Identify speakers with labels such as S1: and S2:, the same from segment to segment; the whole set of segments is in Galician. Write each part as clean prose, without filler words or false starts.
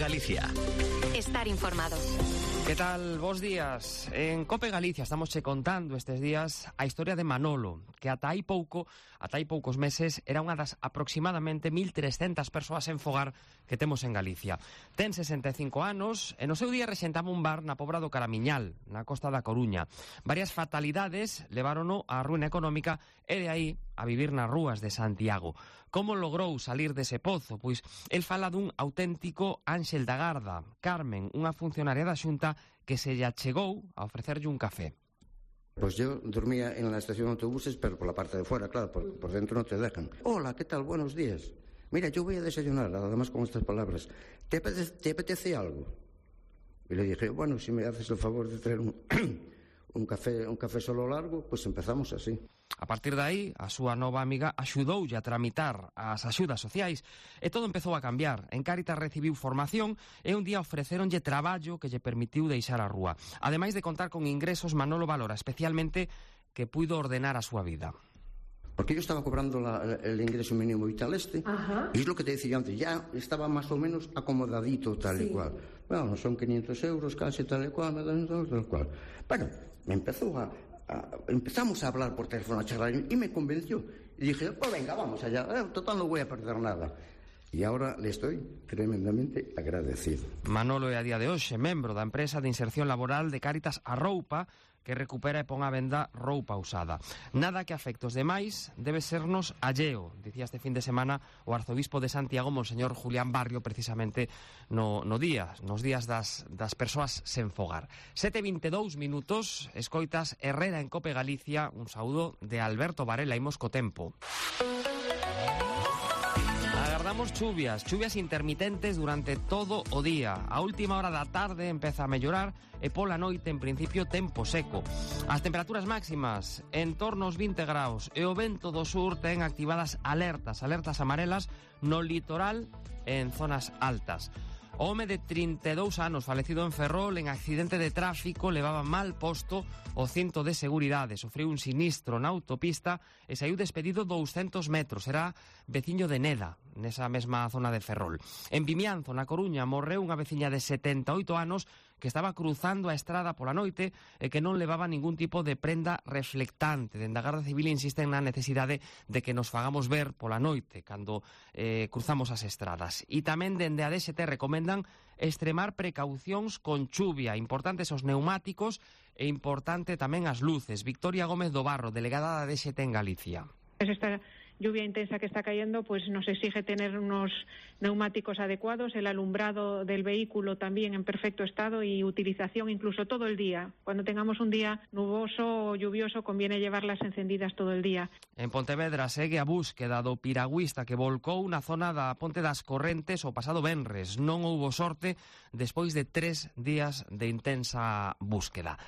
S1: Galicia.
S2: Estar informado.
S3: Que tal? Bos días. En Cope Galicia estamos che contando estes días a historia de Manolo, que ata hai poucos meses era unha das aproximadamente 1.300 persoas en fogar que temos en Galicia. Ten 65 anos e no seu día rexentaba un bar na Pobra do Caramiñal, na costa da Coruña. Varias fatalidades levárono á ruína económica e de aí a vivir nas rúas de Santiago. Como logrou salir dese pozo? Pois el fala dun auténtico Ángel da Garda, Carmen, unha funcionaria da Xunta que se lle achegou a ofrecerlle un café.
S4: Pues yo dormía en la estación de autobuses, pero por la parte de fuera, claro, por dentro no te dejan. Hola, ¿qué tal? Buenos días. Mira, yo voy a desayunar, además con estas palabras. ¿Te apetece algo? Y le dije, bueno, si me haces el favor de traer un café solo largo, pues empezamos así.
S3: A partir de aí, a súa nova amiga axudoulle a tramitar as axudas sociais e todo empezou a cambiar. En Cáritas recibiu formación e un día ofrecéronlle traballo que lle permitiu deixar a rúa. Ademais de contar con ingresos, Manolo valora especialmente que puido ordenar a súa vida.
S4: Porque yo estaba cobrando el ingreso mínimo vital y es lo que te decía antes, ya estaba más o menos acomodadito tal y cual. Bueno, son 500 euros casi tal y cual, tal cual. Bueno, empezamos a hablar por teléfono, a charlar, y me convenció. Y dije, pues venga, vamos allá, total no voy a perder nada. Y ahora le estoy tremendamente agradecido.
S3: Manolo é a día de hoxe membro da empresa de inserción laboral de Cáritas Arroupa, que recupera e pon á venda roupa usada. Nada que afecte os demais debe sernos alleo, dicía este fin de semana o arzobispo de Santiago, Monseñor Julián Barrio, precisamente nos días das persoas sen fogar. 7:22 minutos, escoitas Herrera en Cope Galicia, un saúdo de Alberto Varela, imos co tempo. Agardamos chuvias intermitentes durante todo o día. A última hora da tarde empeza a mellorar e pola noite, en principio, tempo seco. As temperaturas máximas en torno aos 20 graus e o vento do sur ten activadas alertas amarelas no litoral e en zonas altas. O home de 32 anos, falecido en Ferrol en accidente de tráfico, levaba mal posto o cinto de seguridade, sofreu un sinistro na autopista e saiu despedido 200 metros. Era veciño de Neda, nesa mesma zona de Ferrol. En Vimianzo, na Coruña, morreu unha veciña de 78 anos que estaba cruzando a estrada pola noite e que non levaba ningún tipo de prenda reflectante. Dende a Garda Civil insisten na necesidade de que nos fagamos ver pola noite cando cruzamos as estradas. E tamén dende a DST recomendan extremar precaucións con chuvia, importantes os neumáticos e importante tamén as luces. Victoria Gómez do Barro, delegada da DST en Galicia.
S5: Esta lluvia intensa que está cayendo pues nos exige tener unos neumáticos adecuados, el alumbrado del vehículo también en perfecto estado y utilización incluso todo el día. Cuando tengamos un día nuboso o lluvioso conviene llevarlas encendidas todo el día.
S3: En Pontevedra segue a búsqueda do piragüista que volcou na zona da Ponte das Correntes o pasado venres. Non houbo sorte despois de 3 días de intensa búsqueda.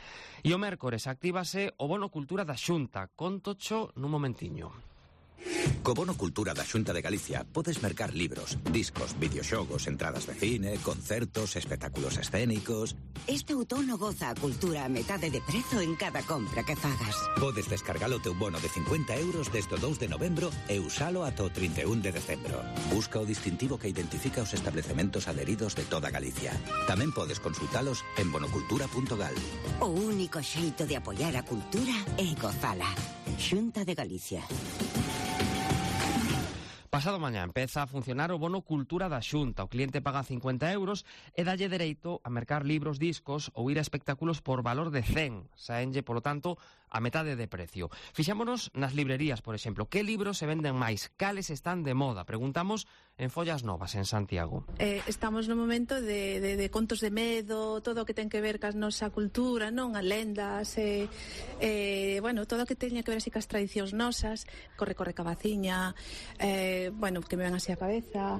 S3: E o mércores actívase o Bono Cultura da Xunta. Contocho nun momentiño.
S1: Co Bono Cultura da Xunta de Galicia podes mercar libros, discos, videoxogos, entradas de cine, concertos, espectáculos escénicos.
S6: Este outono goza a cultura a metade de prezo en cada compra que fagas.
S1: Podes descargar o teu bono de 50 euros desde o 2 de novembro e usalo ata o 31 de decembro. Busca o distintivo que identifica os establecementos adheridos de toda Galicia. Tamén podes consultalos en bonocultura.gal.
S6: O único xeito de apoiar a cultura é gozala. Xunta de Galicia.
S3: Pasado mañá empeza a funcionar o Bono Cultura da Xunta. O cliente paga 50 euros e dalle dereito a mercar libros, discos ou ir a espectáculos por valor de 100. Saenlle, polo tanto, a metade de precio. Fixámonos nas librerías, por exemplo. Que libros se venden máis? Cales están de moda? Preguntamos en Follas Novas, en Santiago.
S7: Estamos no momento de contos de medo, todo o que ten que ver cas nosa cultura, non? As lendas, bueno, todo o que teña que ver así cas tradicións nosas, corre cabaciña, bueno, que me ven así a cabeza.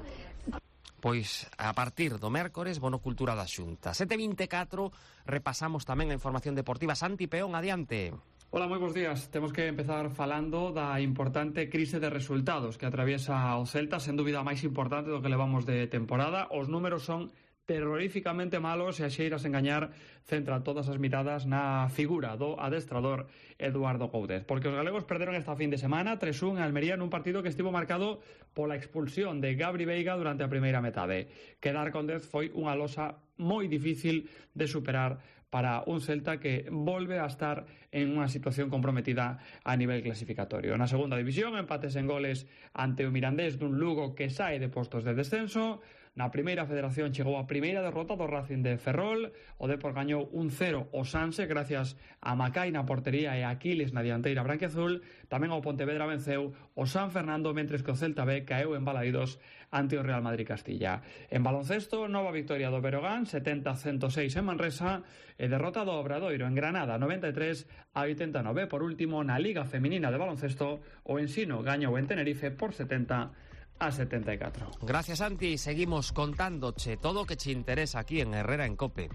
S3: Pois a partir do mércores, Bono Cultura da Xunta. 7:24, repasamos tamén a información deportiva. Santi Peón, adiante.
S8: Hola, moi bons días. Temos que empezar falando da importante crise de resultados que atraviesa o Celta, sen dúbida a máis importante do que levamos de temporada. Os números son terroríficamente malo se axeiras engañar centra todas as miradas na figura do adestrador Eduardo Coudet, porque os galegos perderon esta fin de semana 3-1 en Almería nun partido que estivo marcado pola expulsión de Gabri Veiga durante a primeira metade. Quedar con 10 foi unha losa moi difícil de superar para un Celta que volve a estar en unha situación comprometida a nivel clasificatorio. Na segunda división, empates en goles ante o Mirandés dun Lugo que sae de postos de descenso. Na primeira federación chegou a primeira derrota do Racing de Ferrol. O Depor gañou 1-0 o Sanse gracias a Macai na portería e a Aquiles na dianteira branquiazul. Tamén o Pontevedra venceu o San Fernando, mentres que o Celta B caeu en Balaídos ante o Real Madrid Castilla. En baloncesto, nova victoria do Berogán 70-106 en Manresa e derrota do Obradoiro en Granada 93-89. Por último, na Liga Feminina de Baloncesto, o Ensino gañou en Tenerife por 70-74.
S3: Gracias, Santi. Seguimos contándoche todo o que te interesa aquí en Herrera en COPE.